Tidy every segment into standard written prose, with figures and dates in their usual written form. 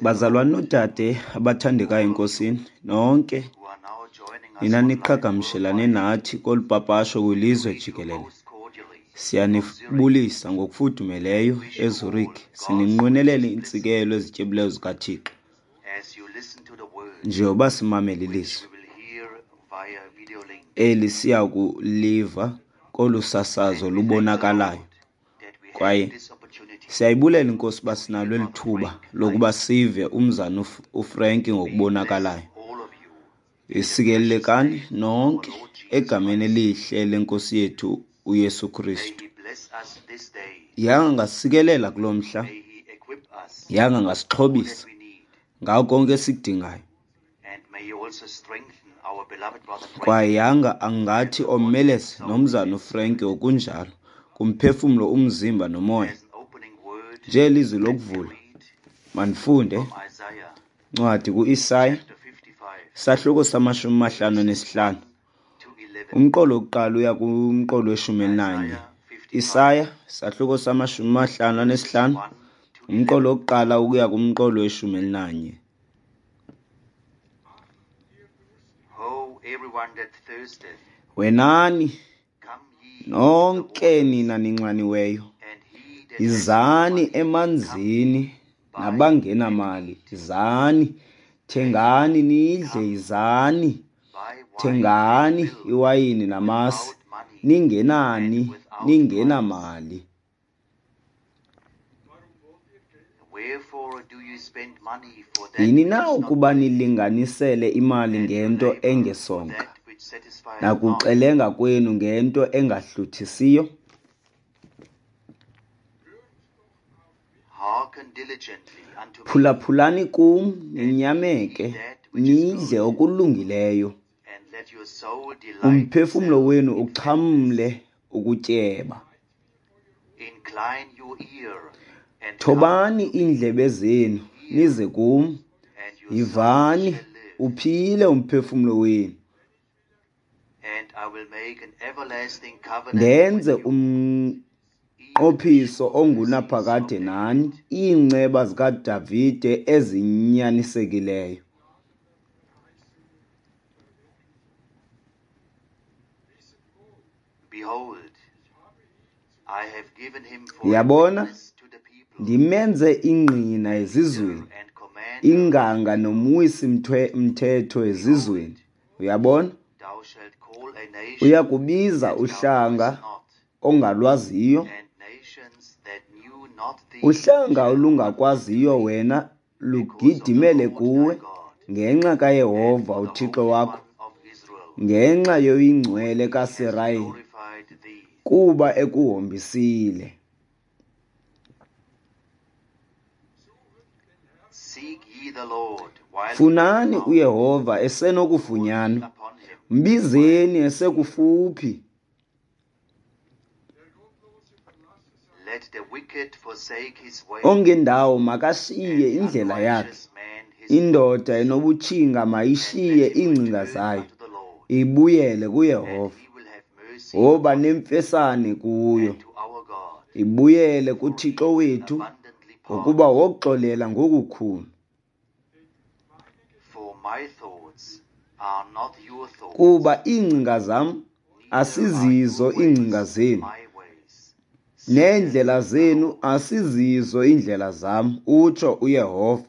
Bazalwane noodade abathandekayo eNkosini, nonke nina niqhagamshelane nathi kolu papasho kwilizwe jikelele, siyanibulisa ngokufudumeleyo eZurich, sininqwenelela iintsikelelo ezityebileyo zikaThixo njengoba simamela ilizwi eli siya kuliva kolu sasazo lubonakalayo. Kwaye siyayibulela iNkosi uba sinalo eli thuba lokuba sive umzana uFrank ngokubonakalayo. Sikelelekani nonke egameni elihle leNkosi yethu uYesu Kristu. Yanga angasikelela kulo mhla, yanga angasixhobisa ngako konke esikudingayo. Kwaye yanga angathi omeleze nomzana uFrank ngokunjalo, kumphefumlo, umzimba nomoya. Njengelizwi lokuvula, mandifunde incwadi kuIsaya, isahluko samashumi mahlanu anesihlanu, umqolo wokuqala uya kumqolo weshumi elinanye. Isaya, isahluko samashumi mahlanu anesihlanu, umqolo wokuqala ukuya kumqolo weshumi elinanye. Wenani nonke nina ninxaniweyo, yizani emanzini, nabangenamali, yizani, thengani nidle, yizani, thengani iwayini namasi, ningenani, ningenamali. Yini na ukuba nilinganisele imali ngento engesonka, nakuxelenga kwenu ngento engahluthisiyo? Phulaphulani kum, ninyameke, nidle okulungileyo, umphefumlo wenu uxhamle ukutyeba. Thobani iindlebe zenu, nize kum, yivani, uphile umphefumlo wenu. Ndenze umnqophiso ongunaphakade nani, iinceba zikaDavide ezinyanisekileyo. Yabona, ndimenze ingqina ezizweni, inganga nomwisi mthetho ezizweni. Uyabona, uya kubiza uhlanga ongalwaziyo, uhlanga olungakwaziyo wena lugidimele kuwe, ngenxa kaYehova uThixo wakho, ngenxa yoyiNgcwele kaSirayeli, kuba ekuhombisile. Funani uYehova esenokufunyanwa, mbizeni esekufuphi. Ongendawo makashiye indlela yakhe, indoda enobutshinga mayishiye iingcinga zayo, ibuyele kuYehova, woba nemfesane kuyo, ibuyele kuThixo wethu, ngokuba woxolela ngokukhulu. Kuba iingcinga zam asizizo iingcinga zenu, neendlela zenu asizizo iindlela zam, utsho uYehova.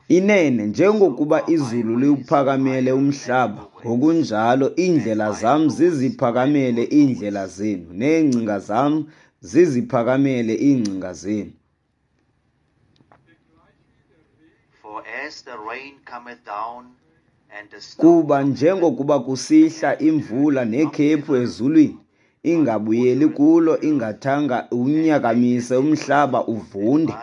Inene, njengokuba izulu liwuphakamele umhlaba, ngokunjalo iindlela zam ziziphakamele iindlela zenu, neengcinga zam ziziphakamele iingcinga zenu. Kuba njengokuba kusihla imvula nekhephu ezulwini, ingabuyeli kulo ingathanga iwunyakamise umhlaba uvunde,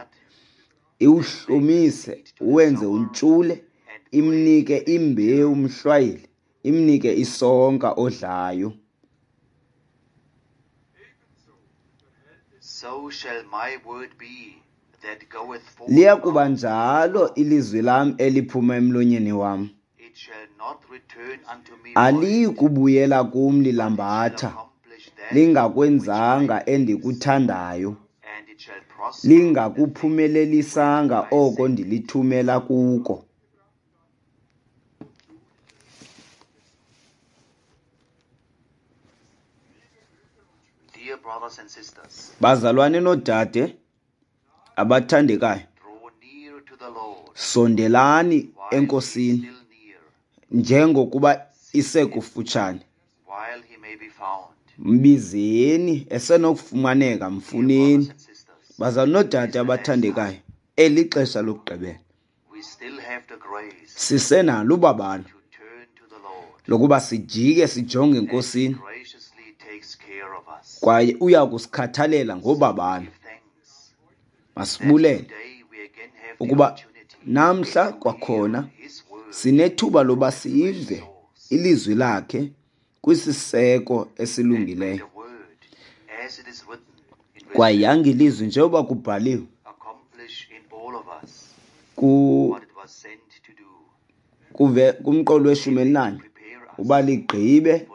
iwuhlumise, uwenze untshule, imnike imbewu umhlwayeli, imnike isonka odlayo. Liya kuba njalo ilizwi lam eliphuma emlonyeni wam. Aliyi kubuyela kum lilambatha, lingakwenzanga endikuthandayo, lingakuphumelelisanga oko ndilithumela kuko. Bazalwane noodade abathandekayo, sondelani eNkosini njengokuba isekufutshane. Mbizeni esenokufumaneka, mfuneni. Bazalwane noodade abathandekayo, eli xesha lokugqibela sisenalo ubabalo lokuba sijike sijonge eNkosini, kwaye uya kusikhathalela ngobabalo. Masibulele ukuba namhla kwakhona sinethuba loba sive ilizwi lakhe kwisiseko esilungileyo. Kwaye yanga ilizwi njengoba kubhaliwe kumqolo we-14 uba ligqibe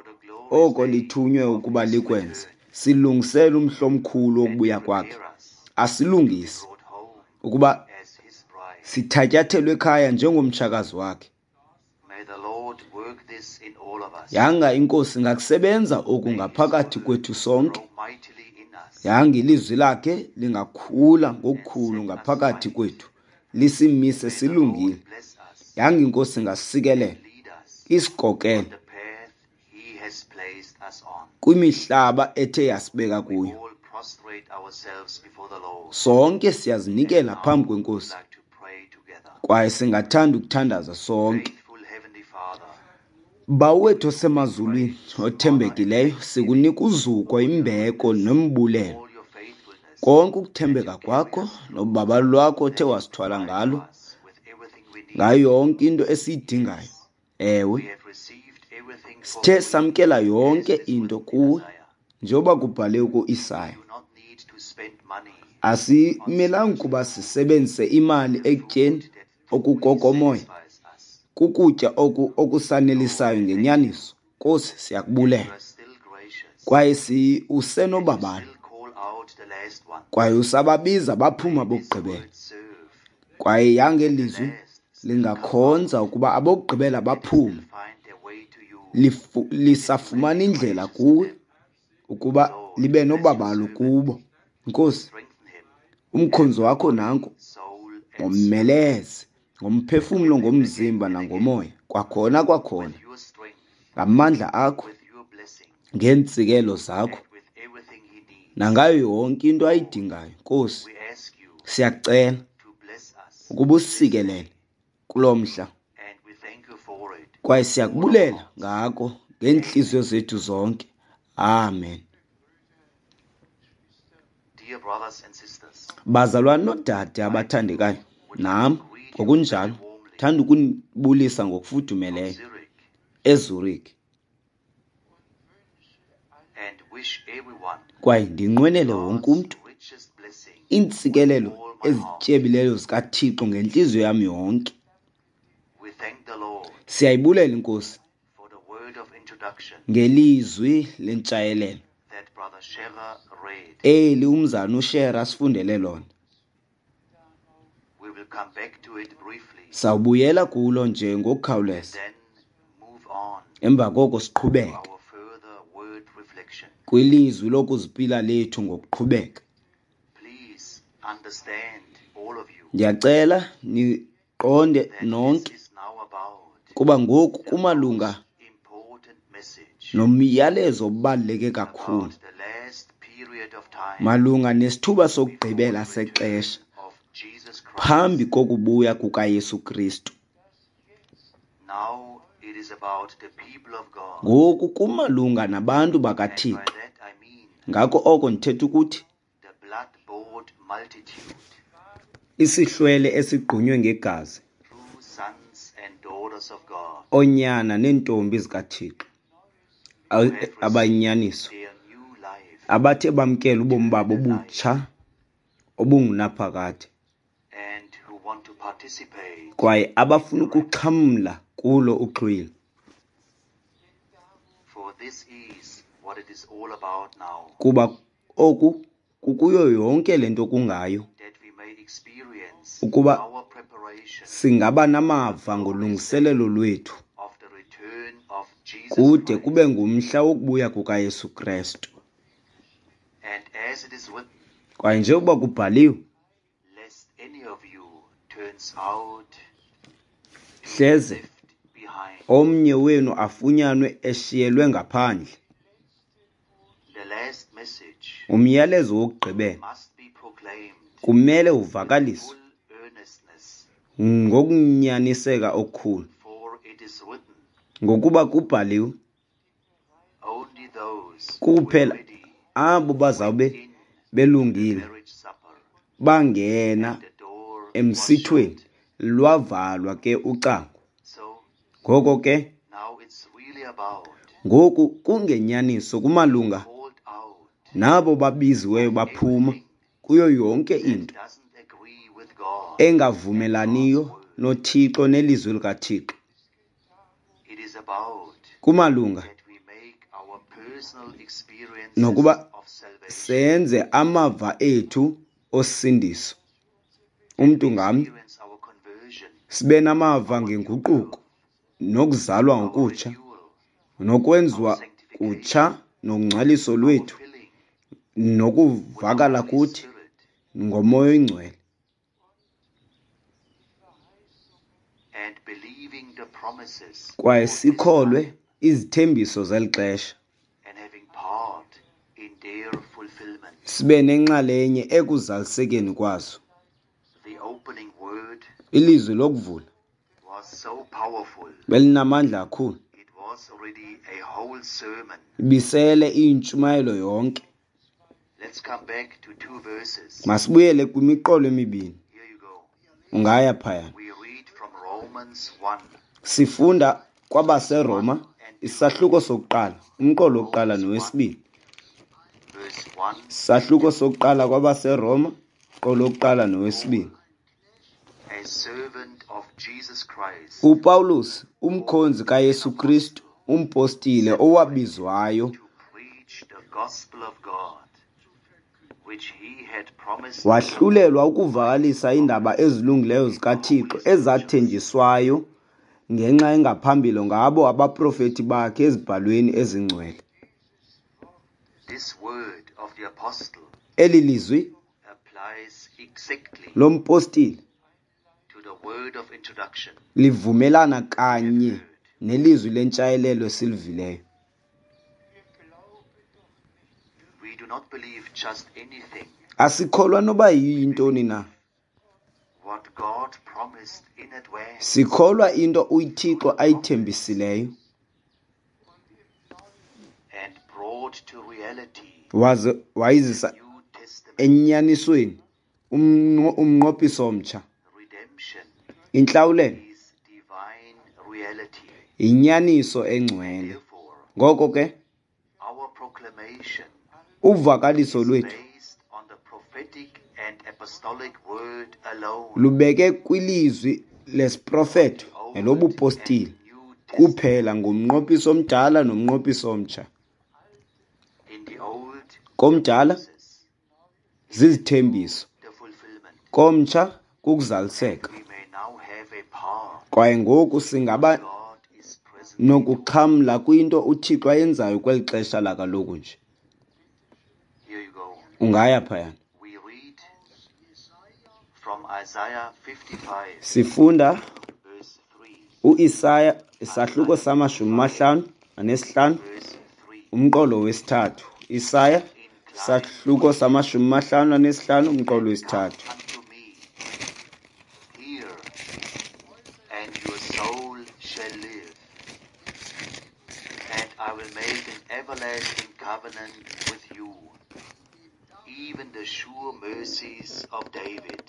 oko lithunywe ukuba likwenze, silungisele umhla omkhulu wokubuya kwakhe, asilungise ukuba sithatyathelwe ekhaya njengomtshakazi wakhe. Yanga iNkosi ingakusebenza oku ngaphakathi kwethu sonke. Yanga ilizwi lakhe lingakhula ngokukhulu ngaphakathi kwethu, lisimise silungile. Yanga iNkosi ingasikelela, isikokele kwimihlaba ethe yasibeka kuyo. Sonke siyazinikela phambi kweNkosi, kwaye singathanda ukuthandaza sonke. Bawo wethu osemazulwini othembekileyo, sikunika uzuko, imbeko nombulelo. Konke ukuthembeka kwakho nobabalo lwakho othe wasithwala ngalo, ngayo yonke into esiyidingayo. Ewe, sithe samkela yonke into kuwe, njengoba kubhaliwe kuIsaya. Asimelanga ukuba sisebenzise imali ekutyeni okukokomoya, kukutya oku okusanelisayo ngenyaniso. Nkosi, siyakubulela. Kwaye usenobabalo, kwaye usababiza baphuma bokugqibela. Kwaye yange lizwi lingakhonza ukuba abokugqibela baphume, lisafumana indlela kuwe ukuba libe nobabalo kubo. Nkosi, umkhonzi wakho nanku, ngomeleze ngomphefumlo, ngomzimba nangomoya, kwakhona kwakhona, ngamandla akho, ngeentsikelo zakho, nangayo yonke into ayidingayo. Nkosi, siyakucela ukuba usikelele kulo mhla, kwaye siyakubulela ngako ngeentliziyo zethu zonke. Amen. Bazalwane noodade abathandekayo, nam ngokunjalo thanda ukunibulisa ngokufudumeleyo eZurich, kwaye ndinqwenele wonke umntu iintsikelelo ezityebileyo zikaThixo ngentliziyo yam yonke. Siyayibulela iNkosi ngelizwi lentshayelelo eli umzana uShera asifundele lona. Sawubuyela kulo nje ngokukhawuleza, emva koko siqhubeke kwilizwi lokuzipila lethu ngokuqhubeka. Ndiyacela niqonde nonke kuba ngoku kumalunga nomyalezo obaluleke kakhulu malunga nesithuba sokugqibela sexesha phambi kokubuya kukaYesu Kristu. Ngoku kumalunga nabantu bakaThixo. Ngako oko ndithetha ukuthi isihlwele esigqunywe ngegazi, oonyana neentombi zikaThixo abayinyaniso, abathe bamkela ubomi babo obutsha obungunaphakade, kwaye abafuna ukuxhamla kulo uxhwilo. Kuba oku Kukuyo yonke le nto kungayo ukuba singaba namava ngolungiselelo lwethu kude kube ngumhla wokubuya kukaYesu Krestu. Kwaye njengokuba kubhaliwe, hleze omnye wenu afunyanwe eshiyelwe ngaphandle. Umyalezo wokugqibela kumele uvakaliswe ngokunyaniseka okukhulu, ngokuba kubhaliwe, kuphela abo bazawube belungile bangena emsithweni, lwavalwa ke ucango. Ngoko ke ngoku kungenyaniso kumalunga nabo babiziweyo baphuma kuyo yonke into engavumelaniyo noThixo nelizwi likaThixo. Kumalunga nokuba senze amava ethu osindiso, umntu ngamnye sibe namava ngenguquko nokuzalwa ngokutsha nokwenziwa kutsha nongcwaliso lwethu nokuvakala kuthi ngoMoya oyiNgcwele, kwaye sikholwe izithembiso zeli xesha, sibe nenxalenye ekuzalisekeni kwazo. Ilizwi lokuvula belinamandla kakhulu, ibisele iyintshumayelo yonke. Masibuyele kwimiqolo emibini. Ungaya phayana. Sifunda kwabaseRoma isahluko sokuqala, umqolo wokuqala nowesibini. Isahluko sokuqala kwabaseRoma, umqolo wokuqala nowesibini. UPawulos, umkhonzi kaYesu Kristu, umpostile owabizwayo wahlulelwa ukuvakalisa iindaba ezilungileyo zikaThixo ezathenjiswayo ngenxa engaphambili ngabo abaprofeti bakhe ezibhalweni ezingcwele. Eli lizwi lompostile livumelana kanye nelizwi lentshayelelo esilivileyo. Asikholwa noba yintoni na. Sikholwa into uThixo ayithembisileyo waze wayizisa enyanisweni umnqophiso omtsha. Intlawulelo yinyaniso engcwele. Ngoko ke uvakaliso lwethu lubeke kwilizwi lesiprofeto nelobupostile kuphela ngomnqophiso omdala nomnqophiso omtsha. Komdala zizithembiso, komtsha kukuzaliseka. Kwaye ngoku singaba nokuxhamla kwinto uThixo ayenzayo kweli xesha lakaloku nje. Ungaya phayana. Sifunda uIsaya isahluko sama-55 umqolo wesithathu. Isaya isahluko sama-55 umqolo wesithathu. I will make an everlasting covenant with you, even the sure mercies of David.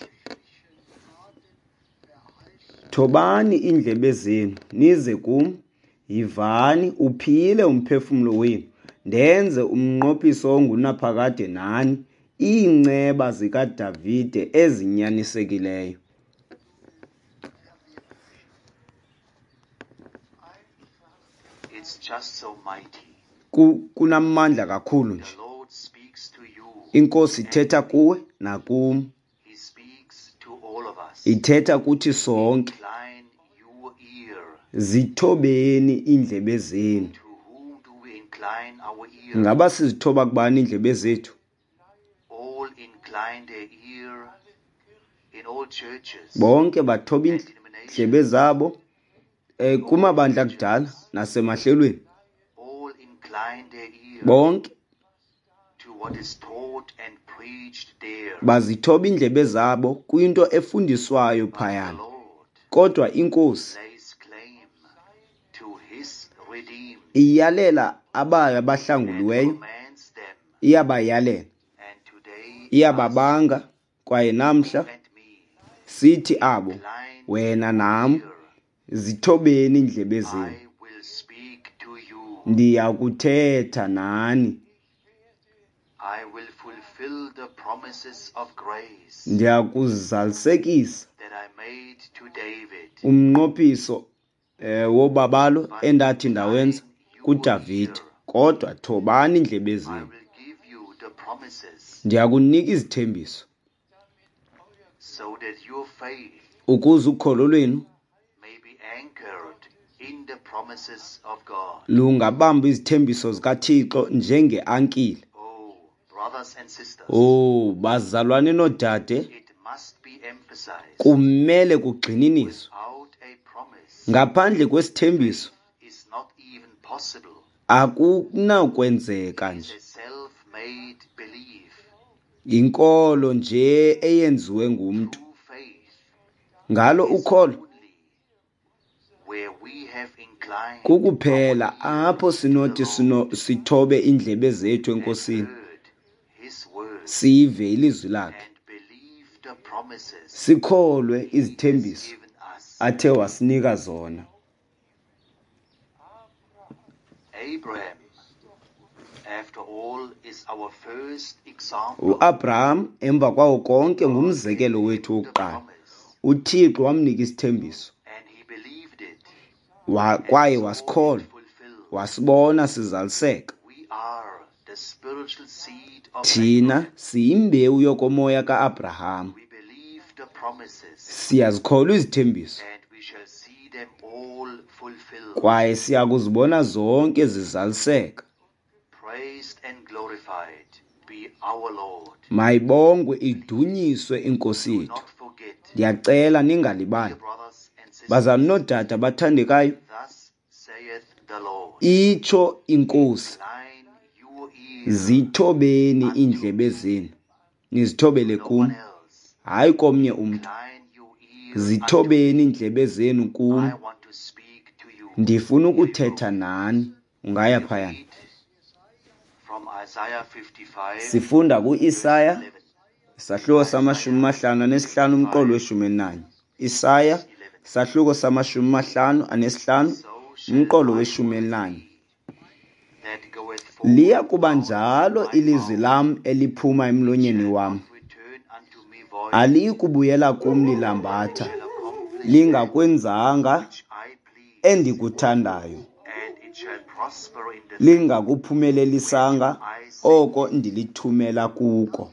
Thobani iindlebe zenu nize kum, yivani uphile umphefumlo wenu, ndenze umnqophiso ongunaphakade nani, iinceba zikaDavide ezinyanisekileyo. It's just so mighty. Kunamandla kakhulu nje. The Lord speaks to you. Inkosi ithetha kuwe nakum. He speaks to all of us. Ithetha kuthi sonke. Incline your ear. Zithobeni iindlebe zenu. To whom do we incline our ear? Ngaba sizithoba kubani iindlebe zethu? All incline their ear in all churches Bonke bathoba and iindlebe denominations. zabo kumabandla akudala nasemahlelweni. All incline their ear Bonke to what is taught and preached there. bazithoba iindlebe zabo kwinto efundiswayo But the phayana. Lord Kodwa inkosi lays claim to his redeemed iyalela abayo and abahlanguliweyo, commands them. iyabayalela, And today, us iyababanga, kwaye namhla and me sithi abo, incline wena your nam, ear. zithobeni iindlebe zenu. I will speak to you. Ndiya kuthetha nani. I will fulfill the promises of grace Ndiya kuzalisekisa that I made to David. umnqophiso wobabalo But endathi ndawenza incline your kuDavide. ear. Kodwa thobani iindlebe I zenu. will give you the promises Ndiya kunika izithembiso so that your faith ukuze ukholo lwenu may be anchored in the promises of God. lungabamba izithembiso zikaThixo njengeankile. Oh, brothers and sisters, Oh, bazalwane noodade, it must be emphasized kumele kugxininiswe. without a promise Ngaphandle kwesithembiso is not even possible. akunakwenzeka It is nje. a self-made belief. Inkolo nje eyenziwe ngumntu. True faith Ngalo is ukholo only where we have inclined our kukuphela ear apho to the sinothi Lord sithobe iindlebe zethu and enkosini, heard his word sive ilizwi lakhe, and believed the promises sikholwe he has izithembiso given us. athe wasinika zona. Abraham, after all, is our first example. uAbraham emva kwawo konke God gave ngumzekelo him wethu the wokuqala. promise uThixo wamnika isithembiso and he believed it and kwaye saw it wasikholwa, fulfilled. wasibona sizaliseka. We are the spiritual seed of Thina Abraham. siyimbewu yokomoya kaAbraham. We believe the promises Siyazikholwa izithembiso and we shall see them all fulfilled. kwaye siya kuzibona zonke zizaliseka. Praised and glorified be our Lord. Mayibongwe idunyiswe inkosi Do yethu. not forget, Ndiyacela dear ningalibali. brothers and sisters, Bazalwane noodade abathandekayo, thus saith the Lord, itsho inkosi, incline your ear zithobeni unto iindlebe me, zenu, nizithobele no kum, one else. hayi komnye umntu. Incline your ear unto Zithobeni me. iindlebe zenu kum, I want to speak to you. ndifuna Here you go. ukuthetha nani. Ungaya We phayana. read from Isaiah 55, Sifunda verse kuIsaya 11. isahluko Isaiah sama-55 umqolo 55, weshumi elinanye. Isaya verse 11. isahluko sama-55 So shall umqolo my weshumi word elinanye. be that goeth Liya forth kuba out of njalo my ilizwi mouth. lam eliphuma It emlonyeni shall wam. not return unto me void, Aliyi kubuyela kum but it lilambatha, shall accomplish that lingakwenzanga which I please, endikuthandayo, and it shall prosper in the thing lingakuphumelelisanga whereto I send oko it. ndilithumela kuko.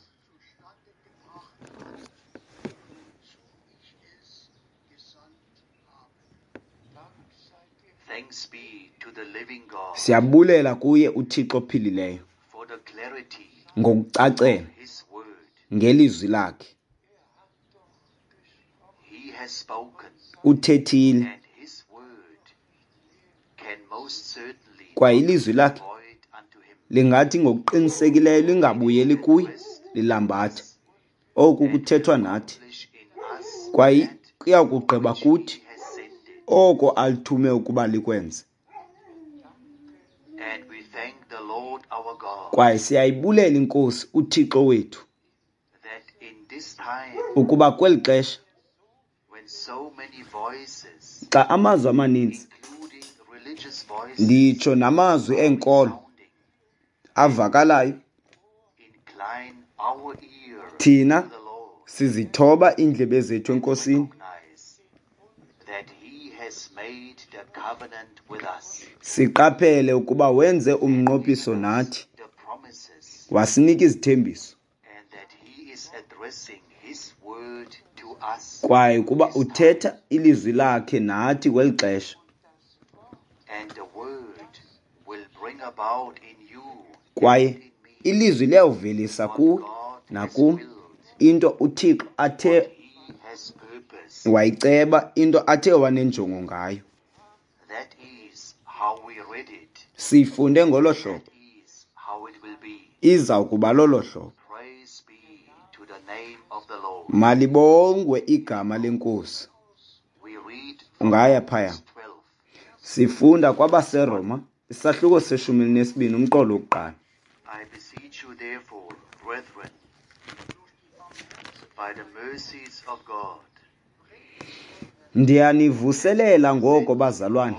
Thanks be to the living God Siyabulela kuye uThixo ophilileyo for the clarity ngokucacela of his word. ngelizwi lakhe. He has spoken, Uthethile and his word can most certainly kwaye not ilizwi return lakhe void unto him. lingathi ngokuqinisekileyo It lingabuyeli will kuye rest in lilambatha. us Oku and will kuthethwa nathi accomplish in us kwaye that kuya kugqiba which kuthi he has sent it. oko alithume ukuba likwenze. And we thank the Lord our God Kwaye siyayibulela inkosi uThixo wethu that in this time ukuba kweli xesha when so many voices, xa amazwi amaninzi, including religious voices, nditsho namazwi are eenkolo resounding, avakalayo, incline our ear to thina the Lord sizithoba iindlebe zethu and enkosini, recognize that he has made the covenant with us siqaphele ukuba wenze and umnqophiso given us nathi, the promises wasinika izithembiso. Kwaye kuba uthetha ilizwi lakhe nathi kweli xesha. Kwaye ilizwi liyawuvelisa kuwe nakum into uThixo athe wayiceba, into athe wanenjongo ngayo. Sifunde ngolo hlobo. Iza kuba lolo hlobo. Malibongwe igama leNkosi. Ungaya phaya. Sifunda kwabaseRoma isahluko se-12 umqolo wokuqala. I beseech you therefore, brethren, by the mercies of God, Ndiyanivuselela ngoko bazalwane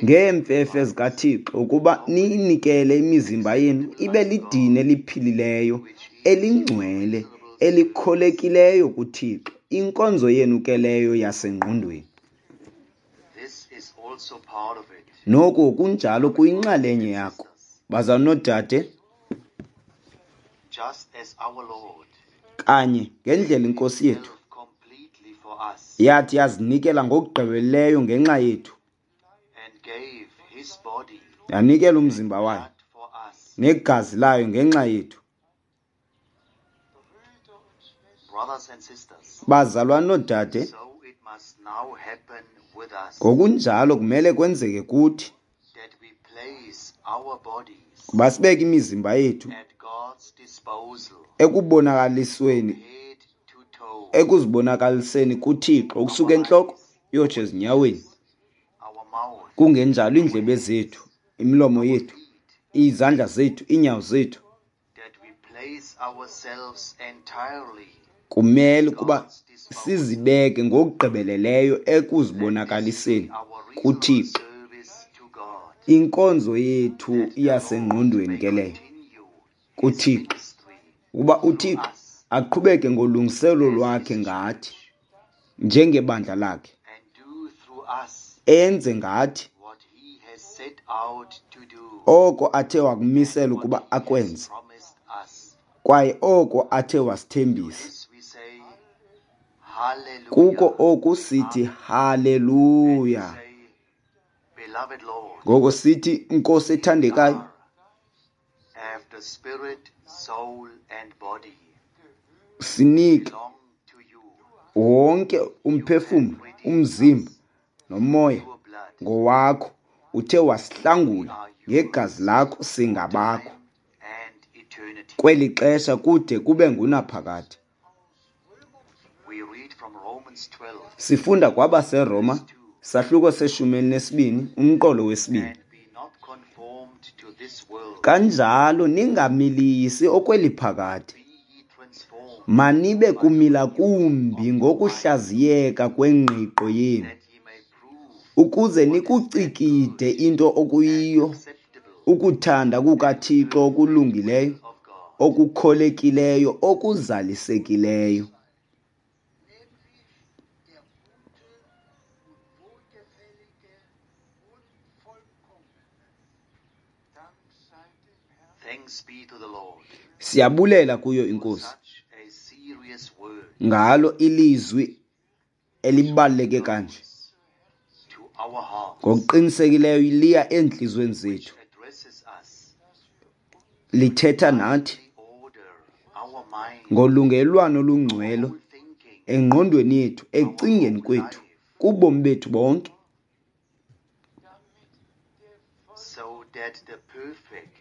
ngeemfefe zikaThixo ukuba niyinikele imizimba yenu ibe lidini eliphilileyo, elingcwele, elikholekileyo kuThixo, inkonzo yenu ke leyo yasengqondweni. This is also part of it. Noko kunjalo kuyinxalenye yakho. Bazalwane noodade, Just as our Lord kanye ngendlela iNkosi yethu himself completely for us yathi yazinikela ngokugqibeleleyo ngenxa yethu, and gave his body yanikela umzimba wayo blood for us. negazi layo ngenxa yethu. Brothers and sisters, Bazalwane noodade, so it must now happen with us ngokunjalo kumele kwenzeke kuthi that we place our bodies kuba sibeke imizimba yethu at God's disposal, ekubonakalisweni, head to toe, ekuzibonakaliseni kuThixo ukusuka entloko uyotsho ezinyaweni, our mouth, kungenjalo iindlebe zethu, imilomo yethu, izandla zethu, iinyawo zethu. that we place ourselves entirely Kumele ukuba sizibeke ngokugqibeleleyo ekuzibonakaliseni our reasonable kuThixo. service to God. Inkonzo yethu yasengqondweni ke leyo Continue kuThixo, ministry ukuba uThixo aqhubeke ngolungiselelo lwakhe ngathi njengebandla lakhe, and do through us enze ngathi what he has set out to do, oko athe wakumisela ukuba akwenze, promised us. kwaye oko athe wasithembisa. This we say, Hallelujah. Kuko oku sithi haleluya. Say, Beloved Lord, Ngoko sithi Nkosi ethandekayo, after spirit, soul, and body sinike belong to you, wonke umphefumlo, umzimba nomoya your blood, ngowakho. Uthe wasihlangula ngegazi lakho, singabakho and eternity. kweli xesha kude kube ngunaphakade. We read from Romans 12, Sifunda kwabaseRoma sahluko se-12 umqolo wesibini. and be not conformed to this world, Kanjalo ningamilisi okweli phakade, be ye transformed, manibe kumila kumbi ngokuhlaziyeka kwengqiqo yenu, that ye may prove ukuze nikucikide into okuyiyo acceptable ukuthanda kukaThixo okulungileyo, of God. okukholekileyo, okuzalisekileyo. Nämlich der gute und wohlgefällige und vollkommene. Dank sei dem Herrn. Thanks be to the Lord Siyabulela kuyo for iNkosi such a serious word ngalo ilizwi elibaluleke kanje. to our hearts, Ngokuqinisekileyo liya eentliziyweni zethu, addresses us, lithetha nathi the order, our mind, ngolungelwano olungcwele whole thinking, engqondweni yethu, ekucingeni kwethu, kubomi bethu bonke, so that the perfect,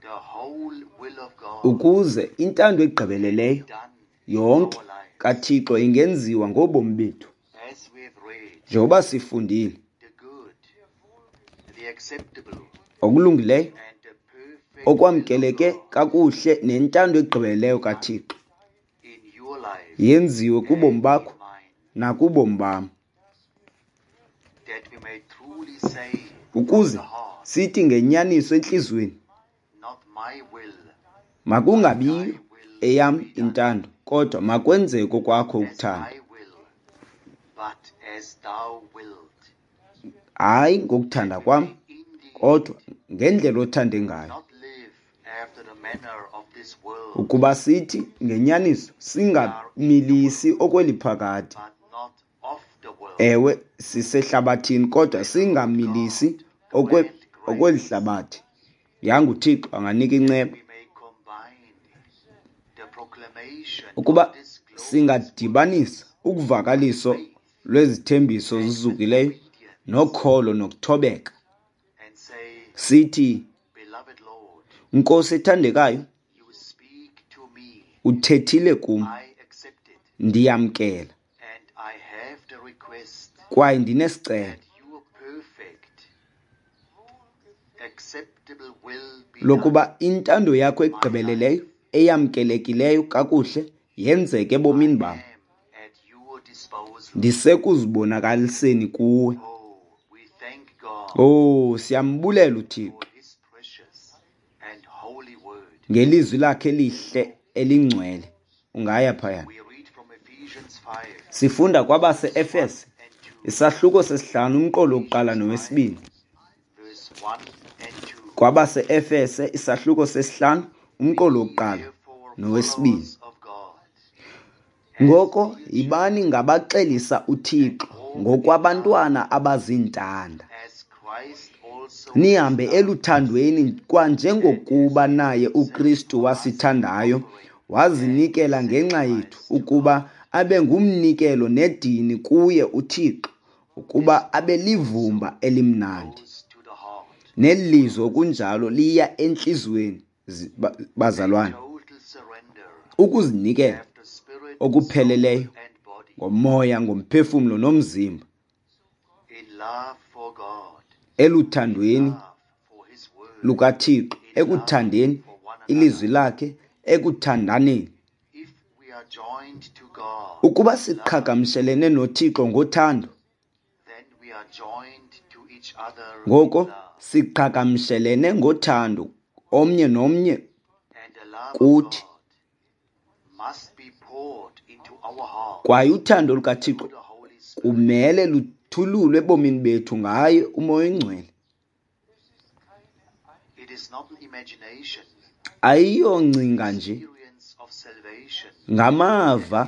the whole will of God ukuze intando egqibeleleyo done in yonke our lives. kaThixo ingenziwa ngobomi bethu. As we have read, Njengoba sifundile, the good, the acceptable, okulungileyo, and the perfect will of okwamkeleke God kakuhle nentando egqibeleleyo kaThixo in your life yenziwe kubomi and bakho in mine, nakubomi bam, that we may truly say from ukuze the heart, sithi ngenyaniso entliziyweni, not my will, makungabiyo eyam intando, kodwa makwenzeke okwakho as ukuthanda. I will, but as thou wilt. Hayi ngokuthanda kwam, Indeed, kodwa ngendlela othande ngayo. not live after the Ukuba sithi ngenyaniso singamilisi okweli phakade. Ewe, sisehlabathini kodwa singamilisi okweli hlabathi. Yanga uThixo anganika inceba. Ukuba singadibanisa ukuvakaliso lwezithembiso zizukileyo nokholo nokuthobeka, sithi, Nkosi ethandekayo, uthethile kum, ndiyamkela kwaye ndinesicelo lokuba intando yakho egqibeleleyo eyamkelekileyo kakuhle yenzeke ebomini bam. Ndisekuzibonakaliseni kuwe. Oh, siyambulela uThixo ngelizwi lakhe elihle elingcwele. Ungaya phaya. Sifunda kwabase-Efese isahluko sesihlanu umqolo wokuqala nowesibini. Kwabase-Efese isahluko sesihlanu umqolo wokuqala nowesibini. Ngoko yibani ngabaxelisa uThixo ngokwabantwana abazintanda. Nihambe eluthandweni kwanjengokuba naye uKristu wasithandayo wazinikela ngenxa yethu ukuba abe ngumnikelo nedini kuye uThixo ukuba abe livumba elimnandi. Neli lizwi okunjalo liya entliziyweni, bazalwane. Ukuzinikela okupheleleyo ngomoya, ngomphefumlo nomzimba eluthandweni lukaThixo, ekuthandeni ilizwi lakhe, ekuthandaneni. Ukuba siqhagamshelene noThixo ngothando, ngoko siqhagamshelene ngothando omnye nomnye kuthi. Kwaye uthando lukaThixo kumele luthululwe ebomini bethu ngaye uMoya oyiNgcwele. Ayiyongcinga nje, ngamava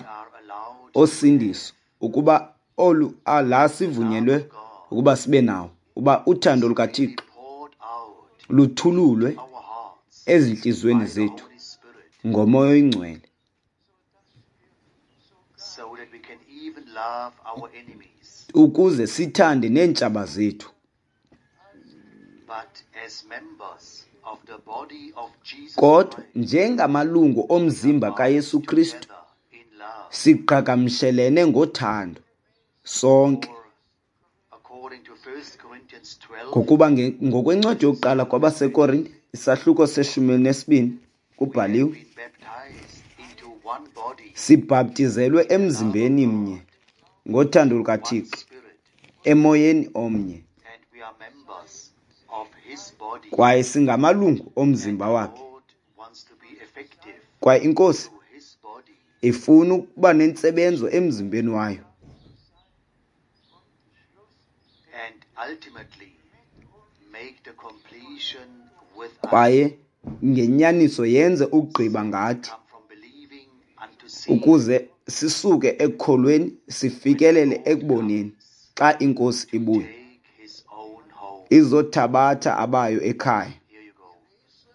osindiso ukuba olu la sivunyelwe ukuba sibe nawo, uba uthando lukaThixo luthululwe ezintliziyweni zethu ngoMoya oyiNgcwele. Ukuze sithande neentshaba zethu. Kodwa njengamalungu omzimba kaYesu Kristu, siqhagamshelene ngothando sonke. Ngokuba ngokwencwadi yokuqala kwabaseKorinte, isahluko seshumi elinesibini, kubhaliwe, sibhaptizelwe emzimbeni mnye ngothando lukaThixo, emoyeni omnye, kwaye singamalungu omzimba wakhe. Kwaye iNkosi ifuna ukuba nentsebenzo emzimbeni wayo. Kwaye ngenyaniso yenze ukugqiba ngathi, ukuze sisuke ekukholweni sifikelele ekuboneni xa iNkosi ibuya izothabatha abayo ekhaya.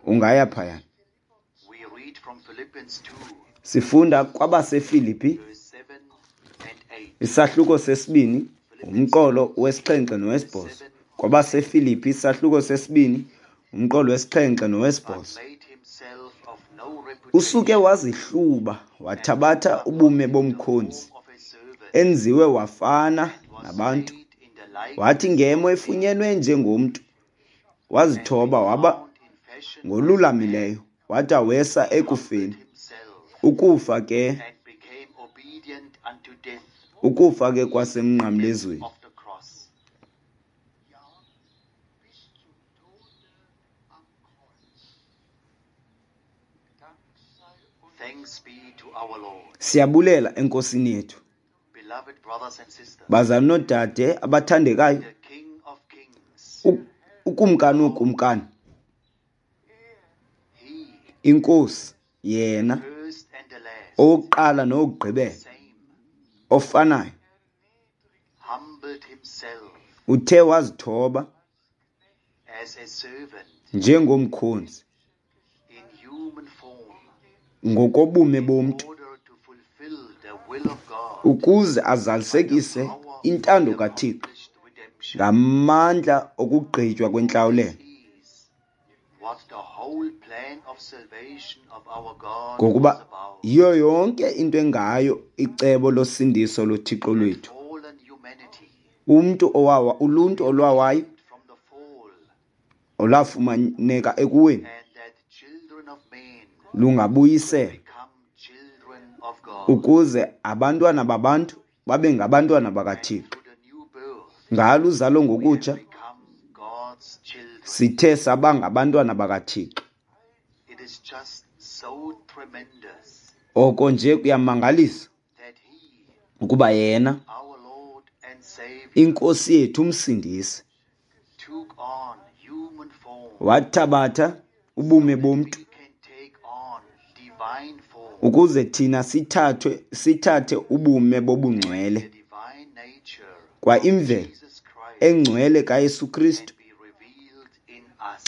Ungaya phaya. Sifunda kwabaseFilipi isahluko sesibini umqolo wesixhenxe nowesibhozo. KwabaseFilipi isahluko sesibini umqolo wesixhenxe nowesibhozo. Usuke wazihluba wathabatha ubume bomkhonzi, enziwe wafana nabantu. Wathi ngemo efunyenwe njengomntu, wazithoba waba ngolulamileyo, wada wesa ekufeni. Ukufa ke, ukufa ke kwasemnqamlezweni. Siyabulela eNkosini yethu. Bazalwane noodade abathandekayo, uKumkani wookumkani, Inkosi yena owokuqala nowokugqibela ofanayo uthe wazithoba njengomkhonzi ngokobume bomntu ukuze azalisekise intando kaThixo ngamandla okugqitywa kwentlawulelo. Ngokuba yiyo yonke into engayo icebo losindiso loThixo lwethu. Umntu owawa, uluntu olwawayo olwafumaneka ekuweni lungabuyiselwa ukuze abantwana babantu babe ngabantwana bakaThixo. Ngalo uzalo ngokutsha sithe saba ngabantwana bakaThixo. Oko nje kuyamangalisa ukuba yena iNkosi yethu uMsindisi wathabatha ubume bomntu ukuze thina sithathe ubume bobungcwele kwa imvelo engcwele kaYesu Kristu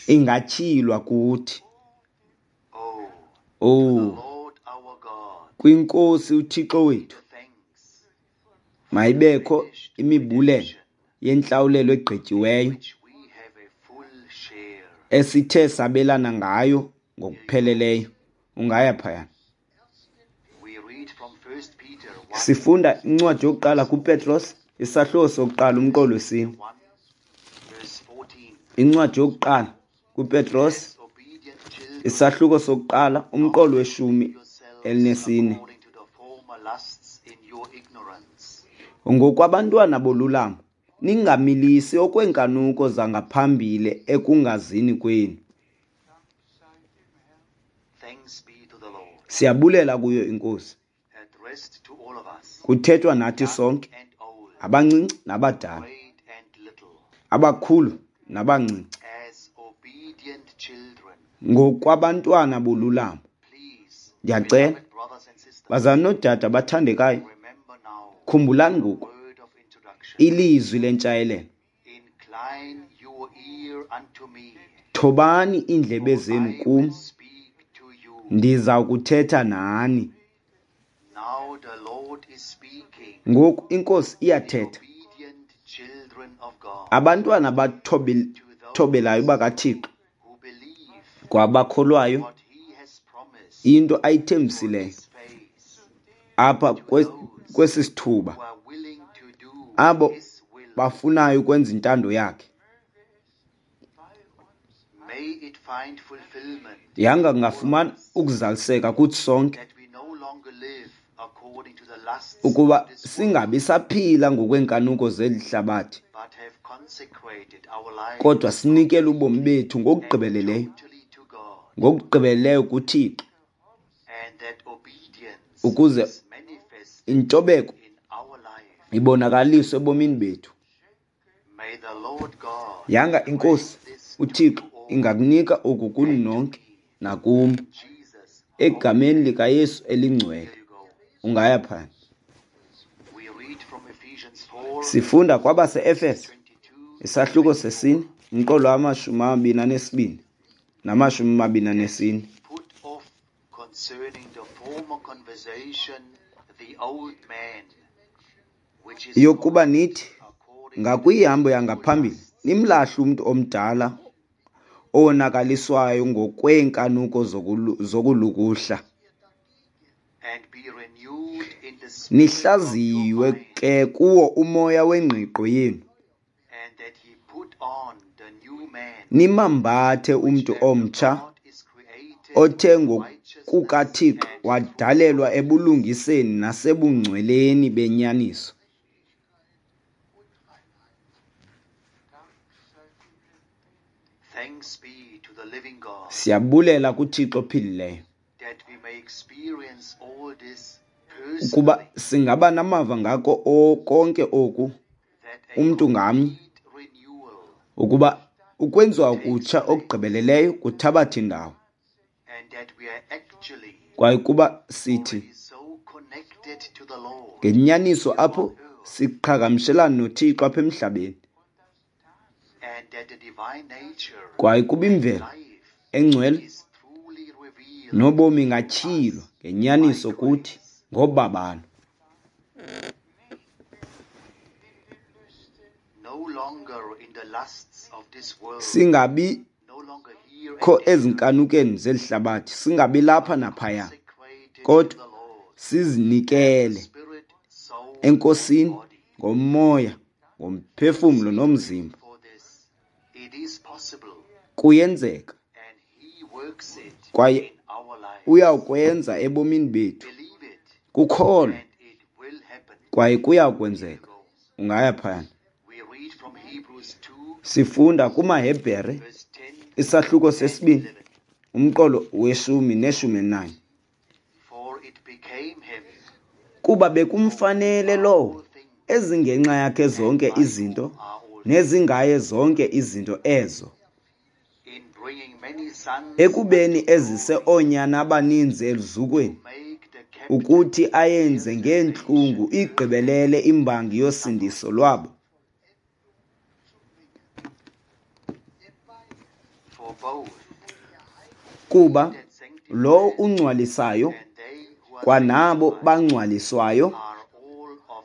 ingatyhilwa kuthi. Oh, kwiNkosi uThixo wethu mayibekho imibulelo yentlawulelo egqityiweyo esithe sabelana ngayo ngokupheleleyo. Ungaya phayana. Sifunda incwadi yokuqala kuPetros, isahluko sokuqala umqolo wesine. Incwadi yokuqala kuPetros, isahluko sokuqala umqolo weshumi elinesine. Ngokwabantwana bolulamo, ningamilisi okweenkanuko zangaphambili ekungazini kwenu. Siyabulela kuyo iNkosi. Kuthethwa nathi sonke, abancinci nabadala, abakhulu nabancinci, ngokwabantwana bolulamo. Ndiyacela, bazalwane noodade abathandekayo, khumbulani ngoku ilizwi lentshayelelo. Thobani iindlebe zenu kum, ndiza kuthetha nani. Ngoku iNkosi iyathetha. Abantwana abathobelayo bakaThixo kwabakholwayo into ayithembisileyo apha kwesi sithuba, abo bafunayo ukwenza intando yakhe. Yanga kungafumana ukuzaliseka kuthi sonke ukuba singabi saphila ngokweenkanuko zeli hlabathi, kodwa sinikele ubomi bethu ngokugqibeleleyo, ngokugqibeleleyo kuThixo, ukuze intobeko ibonakaliswe ebomini bethu. Yanga iNkosi uThixo ingakunika oku kuni nonke nakum, egameni likaYesu elingcwele. Ungaya phana. Sifunda kwabase-Efese isahluko sesine umqolo wama-22 nama-24. Yokuba nithi ngakwihambo yangaphambili nimlahle umntu omdala owonakaliswayo ngokweenkanuko zokulukuhla, nihlaziywe ke kuwo umoya wengqiqo yenu, nimambathe umntu omtsha othe ngokukaThixo wadalelwa ebulungiseni nasebungcweleni benyaniso. Siyabulela kuThixo ophilileyo ukuba singaba namava ngako konke oku umntu ngamnye, ukuba ukwenziwa kutsha okugqibeleleyo kuthabatha indawo, Kwaye kuba sithi ngenyaniso apho siqhagamshelana noThixo apha emhlabeni, kwaye kuba imvelo engcwele nobomi ingatyhilwa ngenyaniso kuthi ngobabalo. Singabi kho ezinkanukeni zeli hlabathi, singabi lapha naphaya, kodwa sizinikele eNkosini ngomoya, ngomphefumlo nomzimba. Kuyenzeka kwaye uyawukwenza ebomini bethu. Kukholwa kwaye kuyakwenzeka. Ungaya phayana. Sifunda kumaHebhere isahluko sesibini umqolo weshumi neshumi elinanye. Kuba bekumfanele lowo ezingenxa yakhe zonke izinto nezingaye zonke izinto ezo, ekubeni ezise oonyana abaninzi eluzukweni, ukuthi ayenze ngeentlungu igqibelele imbangi yosindiso lwabo. Kuba lowo ungcwalisayo kwanabo bangcwaliswayo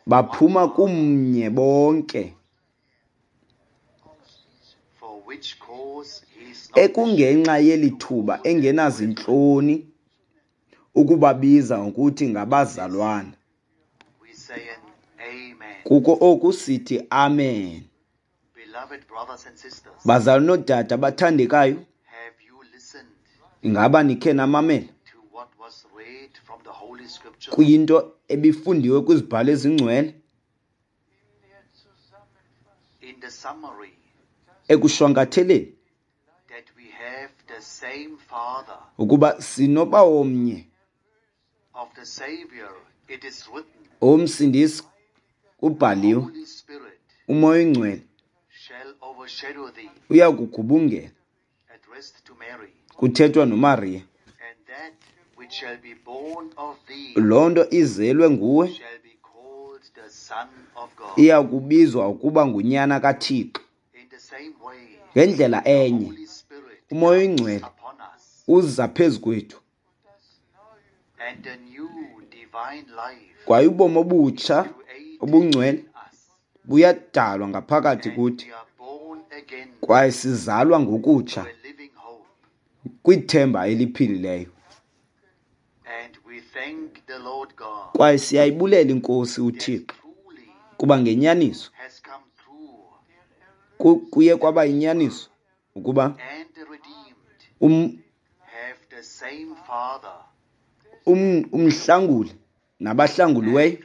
baphuma kumnye bonke, ekungenxa yeli thuba engenazintloni ukubabiza ngokuthi ngabazalwana. Kuko oku sithi amen. Bazalwana noodade abathandekayo, ingaba nikhe namamela kwinto ebifundiwe kwizibhalo ezingcwele? Ekushwankatheleni ukuba sinobawo omnye owomsindisi, kubhaliwe, uMoya oyiNgcwele uyakugubungela. Kuthethwa noMariya. Loo nto izelwe nguwe iyakubizwa ukuba ngunyana kaThixo. Ngendlela enye, uMoya oyiNgcwele uza phezu kwethu, kwaye ubomi obutsha obungcwele buyadalwa ngaphakathi kuthi, kwaye sizalwa ngokutsha kwithemba eliphilileyo. Kwaye siyayibulela iNkosi uThixo, kuba ngenyaniso kuye kwaba yinyaniso ukuba umhlanguli nabahlanguliweyo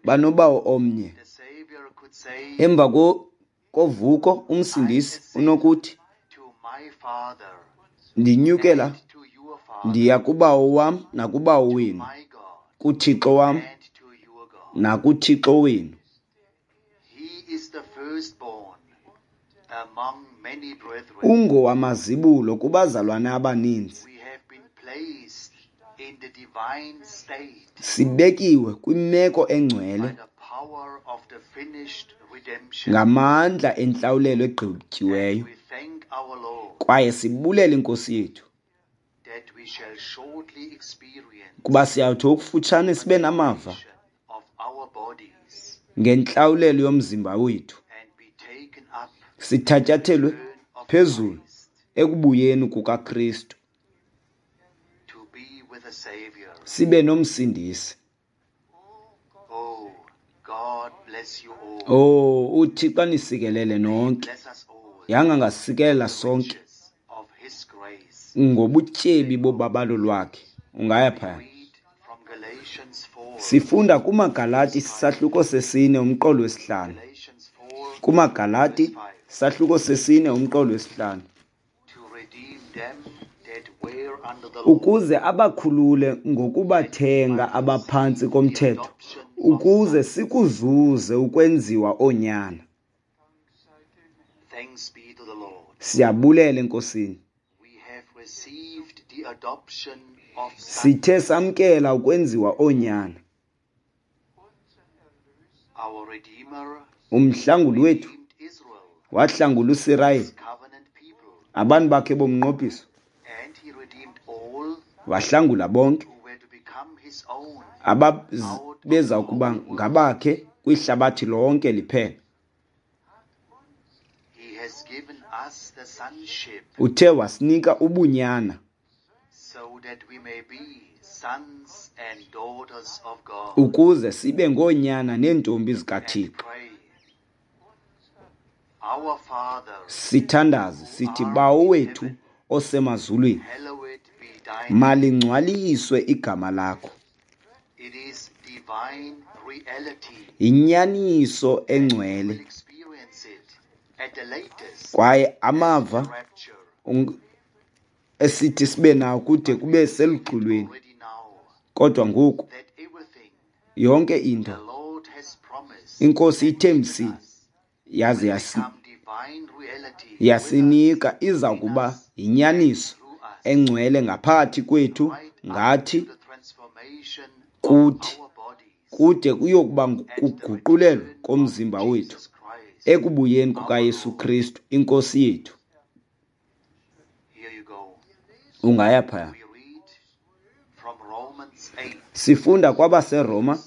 banobawo omnye. Emva kovuko umsindisi unokuthi, ndinyukela ndiya kubawo wam nakubawo wenu, kuThixo wam nakuThixo wenu. Ungowamazibulo kubazalwana abaninzi. Sibekiwe kwimeko engcwele ngamandla entlawulelo egqityiweyo, kwaye sibulela iNkosi yethu kuba siyawuthi okufutshane sibe namava ngentlawulelo yomzimba wethu, sithatyathelwe phezulu ekubuyeni kukaKristu, sibe nomsindisi. Oh, uThixo anisikelele nonke. Yanga ngasikelela sonke ngobutyebi bobabalo lwakhe. Ungaya phaya. Sifunda kumaGalati isahluko sesine umqolo wesihlanu. KumaGalati isahluko sesine umqolo wesihlanu. Ukuze abakhulule ngokubathenga abaphantsi komthetho, ukuze sikuzuze ukwenziwa oonyana. Siyabulela eNkosini. adoption of sons. Sithe samkela ukwenziwa oonyana. Our Redeemer Umhlanguli wethu redeemed Israel, wahlangula uSirayeli, his covenant people, abantu bakhe bomnqophiso, and he redeemed all wahlangula bonke who were to become his own ababeza kuba ngabakhe kwihlabathi lonke liphela. He has given us the sonship Uthe wasinika ubunyana so that we may be sons and daughters of God. Ukuze sibe ngoonyana neentombi And zikaThixo. pray, Our Father, Sithandaze sithi, Bawo wethu osemazulwini, hallowed be thy name. Malingcwaliswe igama lakho. It is divine reality. Yinyaniso We will engcwele experience it at the latest kwaye amava rapture. Esithi sibe nawo kude kube seluxolweni. Already now Kodwa ngoku that everything yonke into the Lord has promised iNkosi ithembisile yaze become divine reality yasinika iza kuba yinyaniso through us, engcwele ngaphakathi kwethu right up ngathi to the transformation of kuthi our bodies kude kuyokuba kuguqulelwa komzimba wethu Jesus Christ. Ekubuyeni kukaYesu Kristu iNkosi yethu. Here you go. Ungaya phaya. We read from Romans 8, Sifunda kwabaseRoma 14,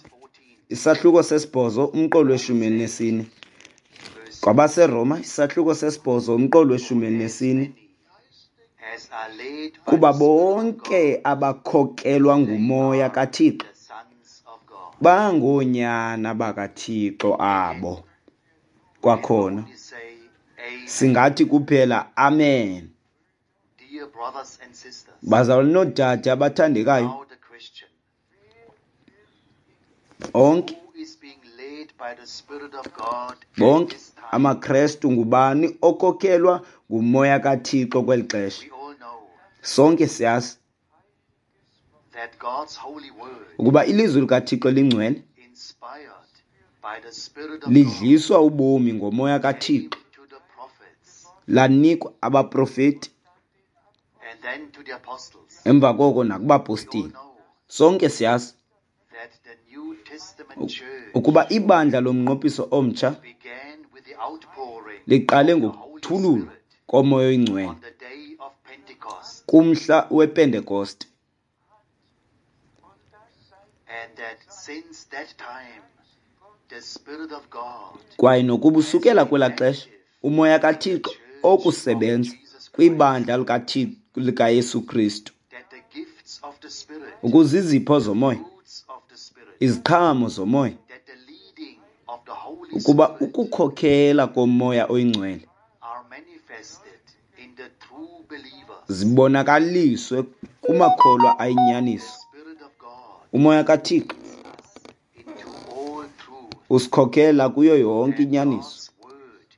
isahluko 8 umqolo we-14. Verse KwabaseRoma isahluko 8 umqolo we-14. As are led by Kuba the Spirit of God, bonke abakhokelwa nguMoya kaThixo the sons of God. bangoonyana bakaThixo abo. Kwakhona Only say amen. singathi kuphela amen. Dear brothers and sisters, Bazalwane noodade abathandekayo, now the question. onke Who is being led by the Spirit of God at bonke this time? amaKrestu, ngubani okhokelwa nguMoya kaThixo kweli xesha? We all know Sonke siyazi that God's holy word, ukuba ilizwi likaThixo lingcwele inspired by the Spirit of God, lidliswa ubomi ngoMoya came kaThixo, to the prophets lanikwa abaprofeti and then to the apostles. emva koko We all nakubapostile. know Sonke siyazi that the New Testament church ukuba ibandla lomnqophiso omtsha began with the outpouring liqale of the Holy ngokuthululwa Spirit koMoya oyiNgcwele on the day of Pentecost, kumhla wePentekoste, and that since that time the Spirit of God kwaye nokuba usukela kwelaa xesha uMoya kaThixo okusebenza kwibandla likaThixo likaYesu Kristu, that the gifts of the Spirit, ukuze izipho zomoya, fruits of the Spirit, iziqhamo zomoya, that the leading of the Holy ukuba Spirit ukukhokhela koMoya oyiNgcwele are manifested in the true believers. Zibonakaliswe kumakholwa ayinyaniso. The Spirit of God UMoya kaThixo us into all truth. usikhokhela kuyo yonke And inyaniso, God's word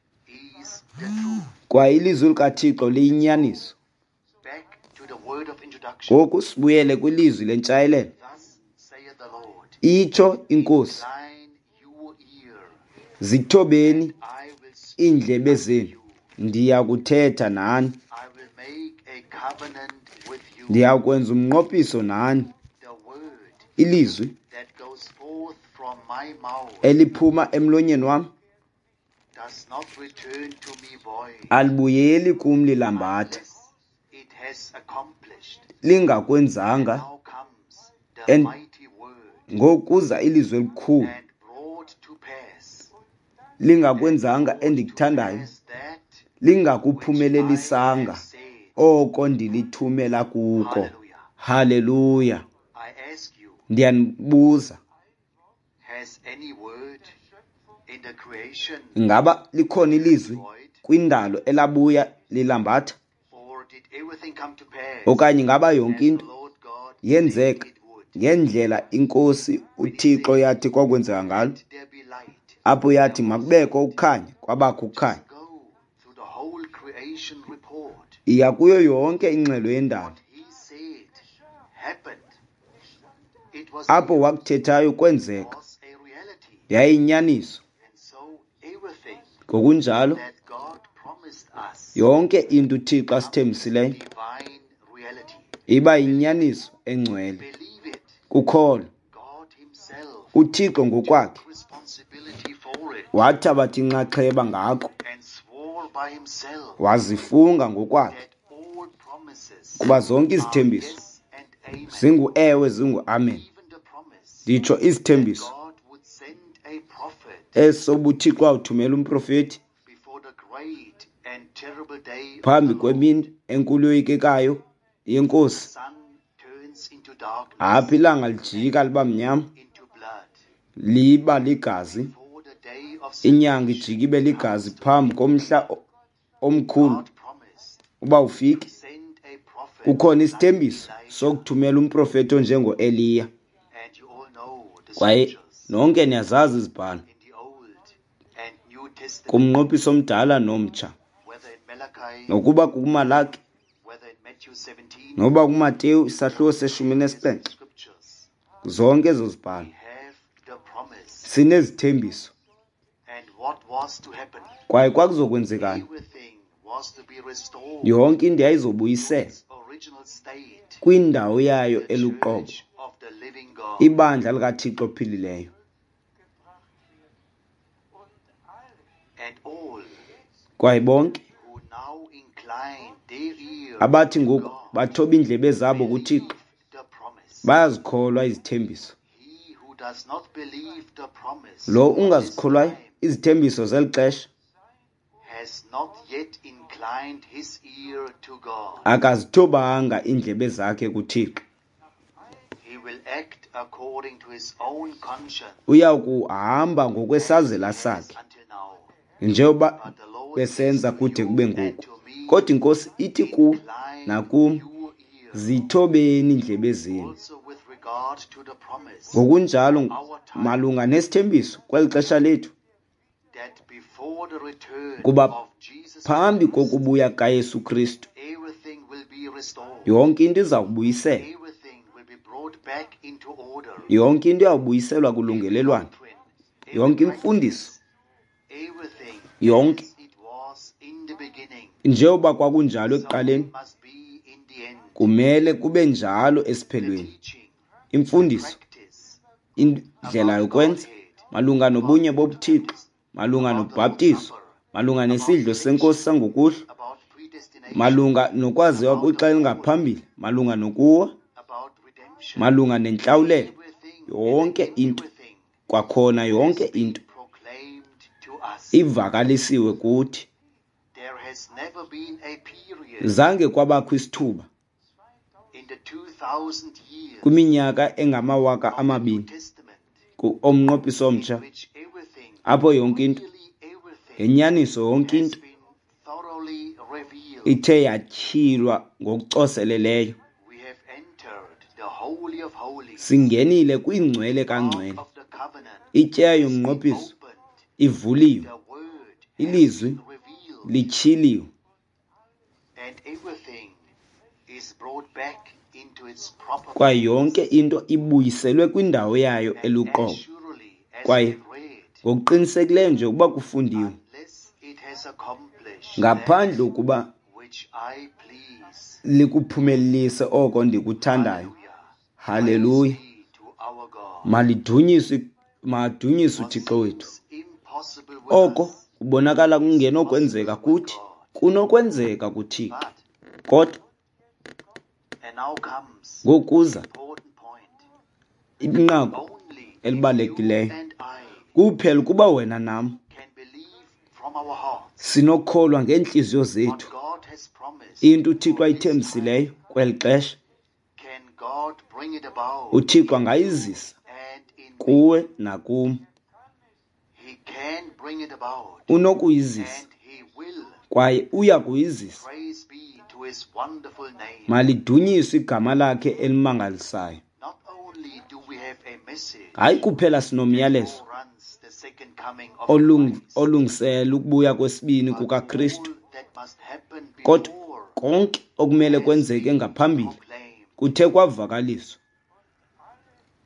is the truth. Kwaye ilizwi likaThixo liyinyaniso. Back to the word of introduction. Ngoku sibuyele kwilizwi lentshayelelo. Thus saith the Lord, Itsho iNkosi, incline your ear, zithobeni I will speak iindlebe unto zenu, you. ndiya kuthetha nani, I will make a covenant with you. Ndiya kwenza umnqophiso nani. The word Ilizwi that goes forth from my mouth eliphuma emlonyeni wam does not return to me void, alibuyeli kum lilambatha, unless it has accomplished. Lingakwenzanga. Now comes the mighty word Ngokuza ilizwi elikhulu and brought to pass lingakwenzanga endikuthandayo, as that lingakuphumelelisanga which I have said. Oko ndilithumela kuko. Hallelujah. Haleluya. I ask you, Ndiyanibuza, has any word in the creation ingaba likhona ilizwi void, kwindalo elabuya lilambatha, or did everything come to pass okanye ingaba as yonke the into Lord God said yenzeka it would? ngendlela iNkosi uThixo yathi kwakwenzeka ngalo? Let there be light. Apho yathi makubekho ukukhanya, kwabakho ukukhanya. Just go through the whole creation report. Iya kuyo yonke ingxelo yendalo. What he said happened. It was Apho wakuthethayo kwenzeka, was a reality. yayiyinyaniso. And so everything Ngokunjalo that God promised us yonke into uThixo asithembisileyo divine reality. Iba yinyaniso engcwele. Believe it. Kukholwa. God himself UThixo ngokwakhe took responsibility for it wathabatha inxaxheba ngako, and swore by himself wazifunga ngokwakhe that all promises kuba zonke are izithembiso yes and amen. zingu-ewe zingu-amen. Even the promise Nditsho that izithembiso God would send a prophet esobuThixo awuthumela umprofethi before the great and terrible day of phambi the Lord. kwemini enkulu yoyikekayo yeNkosi. Sun turns into darkness, Apho ilanga lijika liba mnyama, into blood. liba ligazi, Before the day of inyanga salvation ijika ibe ligazi comes to phambi an end. komhla omkhulu God promised uba ufike. to send a prophet Kukhona like isithembiso Elijah. sokuthumela umprofethi onjengoEliya. And you all know the Kwaye scriptures nonke niyazazi izibhalo in the Old and New Testament, kumnqophiso omdala nomtsha, whether in Malachi, nokuba kukuMalaki, whether in Matthew 17, noba kuMateyu isahluko seshumi various nesixhenxe, scriptures, zonke ezo zibhalo we have the promise. sinezithembiso. And what was to happen? Kwaye kwakuzokwenzekani? Everything was to be restored Yonke into to yayizobuyiselwa its original state, kwindawo yayo the eluqobo, church of the living God. ibandla likaThixo ophilileyo. And all Kwaye bonke who now incline their ear abathi to ngoku God bathoba iindlebe zabo kuThixo believe the promise. bayazikholwa izithembiso. He who does not believe the promise Lo for this ungazikholwayo time izithembiso zeli xesha has not yet inclined his ear to God. akazithobanga iindlebe zakhe kuThixo. He will act according to his own conscience Uya kuhamba as he ngokwesazela has sakhe until now. njengoba But the Lord says besenza to kude you kube and ngoku. to me, Kodwa iNkosi ithi ku incline nakum, your ear zithobeni iindlebe zenu. also with regard to the promise Ngokunjalo of our time, malunga nesithembiso kweli xesha lethu, that before the return kuba of Jesus phambi Christ, kokubuya kaYesu Kristu everything will be restored. yonke into iza kubuyiselwa, Everything will be brought back into order. yonke into iyawubuyiselwa Every kulungelelwano, doctrine, every yonke imfundiso, practice, everything yonke as it was in the beginning, njengoba kwakunjalo so ekuqaleni it must be in the end. kumele kube njalo The esiphelweni. teaching, the Imfundiso, practice indlela about the yokwenza Godhead, malunga about nobunye the bobuThixo, baptism, malunga about the Lord's nobhaptizo, Supper, malunga about nesidlo senkosi election, sangokuhlwa, about predestination, malunga nokwaziwa about the kwixa fall, elingaphambili, malunga nokuwa, about redemption, malunga nentlawulelo, everything and yonke into, everything kwakhona has yonke been into proclaimed to us. ivakalisiwe kuthi. There has never been a period Zange kwabakho isithuba in the 2,000 years kwiminyaka engamawaka of the New amabini Testament omnqophiso in omtsha which everything, apho yonke into, really everything, ngenyaniso yonke has into been thoroughly revealed. ithe yatyhilwa ngokucoseleleyo. We have entered the Holy of Holies. Singenile kwingcwele The Ark kangcwele. of the Covenant Ityeya has been yomnqophiso opened. ivuliwe, The Word has ilizwi been revealed. lityhiliwe, And everything is brought back into its proper kwaye yonke place. into ibuyiselwe kwindawo yayo And as eluqobo. surely as Kwaye we have read, ngokuqinisekileyo nje ukuba kufundiwe, unless it has accomplished ngaphandle that ukuba which I please. likuphumelelise oko ndikuthandayo. Hallelujah. Haleluya. Praise be to our God. Malidunyiswe, madunyiswe What uThixo wethu. seems impossible with Oko us kubonakala is kungenokwenzeka possible with kuthi God. kunokwenzeka kuThixo. But, Kodwa and now comes ngokuza the important point. inqaku Only if you elibalulekileyo, and I kuphela ukuba wena nam can believe from our hearts sinokholwa ngeentliziyo what zethu God has promised into uThixo for this time, ayithembisileyo kweli xesha, can God bring it about uThixo in you angayizisa and in me. kuwe nakum. He can bring it about Unokuyizisa and he will. kwaye uya kuyizisa. Praise be to his wonderful name. Malidunyiswe igama lakhe elimangalisayo. Not only do we have a message Hayi kuphela that sinomyalezo foreruns the second coming of Christ, olungisela ukubuya kwesibini but kukaKristu, all that must happen kodwa before konke okumele has kwenzeke been ngaphambili proclaimed. kuthe kwavakaliswa.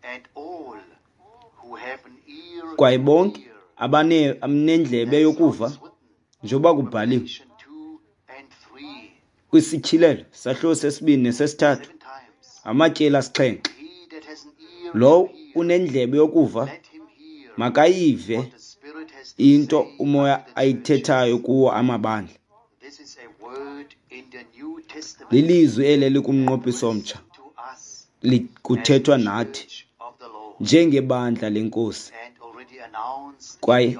And all who have an ear Kwaye to bonke hear, abanendlebe that's how yokuva, it's written. njengoba kubhaliwe Revelation 2 and 3, kwisityhilelo sahluko sesibini nesesithathu 7 times. Amatyeli 7. Lowo unendlebe yokuva makayive into uMoya ayithethayo kuwo amabandla. Lilizwi eli elikumnqophiso omtsha, kuthethwa nathi njengebandla leNkosi, kwaye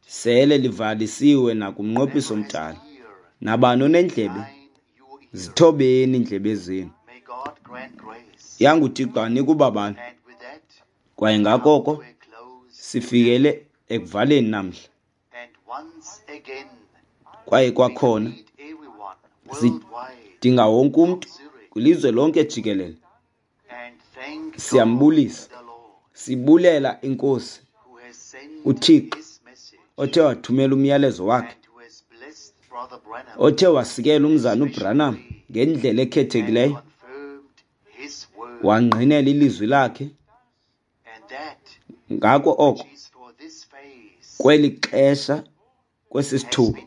sele livalisiwe nakumnqophiso omdala. Nabani onendlebe, zithobeni iindlebe zenu. YanguThixo anike ubabalo. Kwaye ngakoko sifikele ekuvaleni namhla. Kwaye kwakhona sidinga wonke umntu kwilizwe lonke jikelele. Siyambulisa, sibulela iNkosi uThixo othe wathumela umyalezo wakhe, othe wasikela umzana uBranham ngendlela ekhethekileyo, wangqinela ilizwi lakhe. Ngako oko kweli xesha, kwesi sithuba,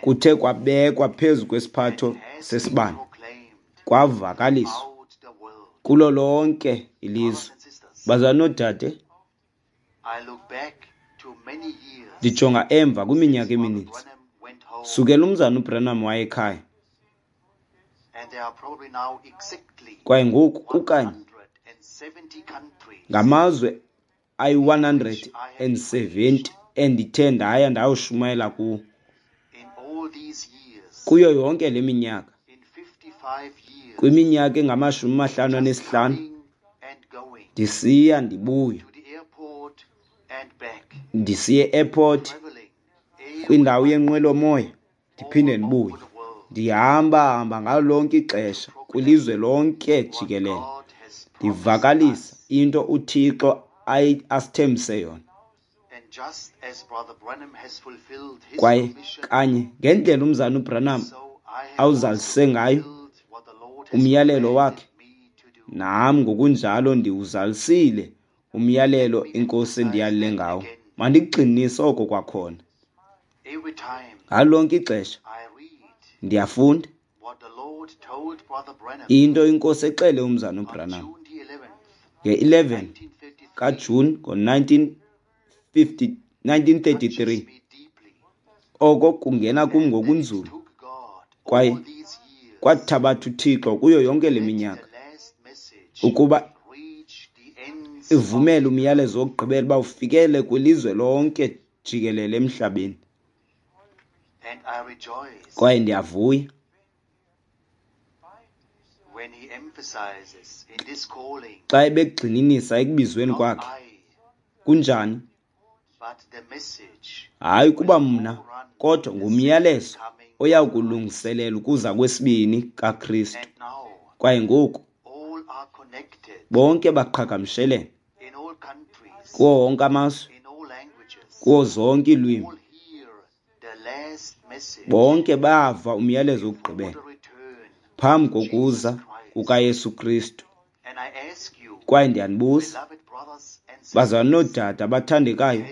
kuthe kwabekwa phezu kwesiphatho sesibane, kwavakaliswa kulo lonke ilizwe. Bazalwane noodade, ndijonga emva kwiminyaka emininzi sukela umzana uBranham wayekhaya, kwaye ngoku kukanye ngamazwe ayi-170 endithe ndaya ndayoshumayela kuwo kuyo yonke le minyaka, kwiminyaka engama-55 ndisiya ndibuya, ndisiya e-airport, kwindawo yenqwelomoya, ndiphinde ndibuye. Ndihamba hamba ngalo lonke ixesha kwilizwe lonke jikelele, ndivakalisa into uThixo asithembise yona. Kwaye kanye ngendlela umzana uBranham awuzalise ngayo umyalelo wakhe, nam ngokunjalo ndiwuzalisile umyalelo iNkosi endiyalele ngawo. Mandikugxininise oko kwakhona. Ngalo lonke ixesha ndiyafunda into iNkosi exele umzana uBranham nge-11 kaJuni ngo-1933. Oko kungena kum ngokunzulu, kwaye kwathabatha uThixo kuyo yonke le minyaka ukuba ivumele umyalezo wokugqibela uba ufikele kwilizwe lonke jikelele emhlabeni. Kwaye ndiyavuya xa ebegxininisa ekubizweni kwakhe. Kunjani? Hayi kuba mna, kodwa ngumyalezo oyakulungiselela ukuza kwesibini kaKristu. Kwaye ngoku bonke baqhagamshelene kuwo wonke amazwe, kuwo zonke iilwimi. Bonke bava umyalezo wokugqibela phambi kokuza kukaYesu Kristu. Kwaye ndiyanibuza, bazalwane noodade abathandekayo,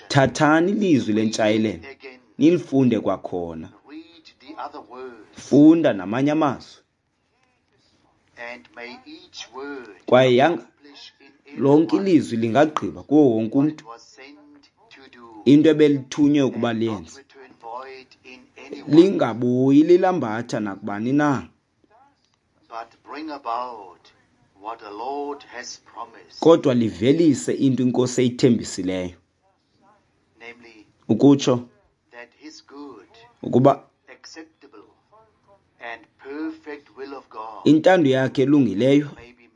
thathani ilizwi lentshayelelo nilifunde kwakhona. Funda namanye amazwi. Kwaye yanga lonke ilizwi lingagqiba kuwo wonke umntu into ebelithunywe ukuba liyenze, lingabuyi lilambatha nakubani na, kodwa livelise into iNkosi eyithembisileyo, ukutsho ukuba intando yakhe elungileyo,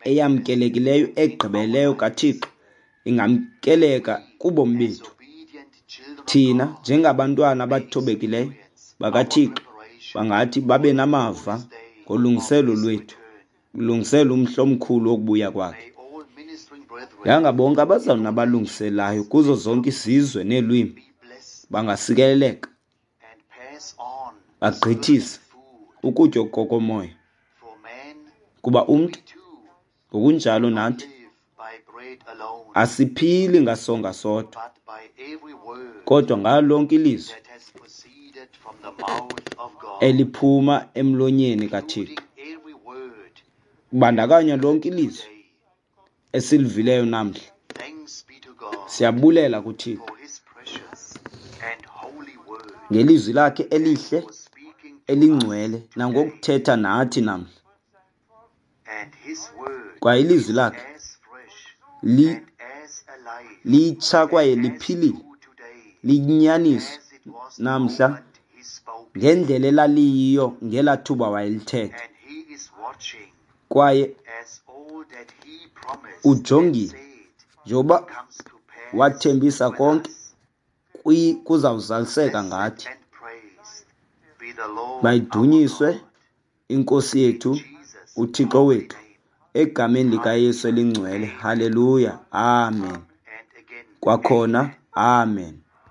eyamkelekileyo, egqibeleyo kaThixo ingamkeleka kubomi bethu. Thina njengabantwana abathobekileyo bakaThixo bangathi babe namava ngolungiselo lwethu, ulungiselo umhla omkhulu wokubuya kwakhe. Yanga bonke abazalwana abalungiselayo kuzo zonke izizwe neelwimi bangasikeleleka, bagqithise ukutya kokomoya, kuba umntu ngokunjalo nathi asiphili ngasonga sodwa, kodwa ngalo lonke ilizwi Eliphuma emlonyeni kaThixo, kubandakanya lonke ilizwi esilivileyo namhla. Siyabulela kuThixo ngelizwi lakhe elihle elingcwele nangokuthetha nathi namhla. Kwaye ilizwi lakhe litsha kwaye liphilile, liyinyaniso namhla ngendlela elaliyiyo ngelaa thuba wayelithetha. Kwaye ujongile njengoba wathembisa konke kuzawuzaliseka ngathi. Mayidunyiswe iNkosi yethu uThixo wethu egameni likaYesu elingcwele. Haleluya, amen. Kwakhona, amen.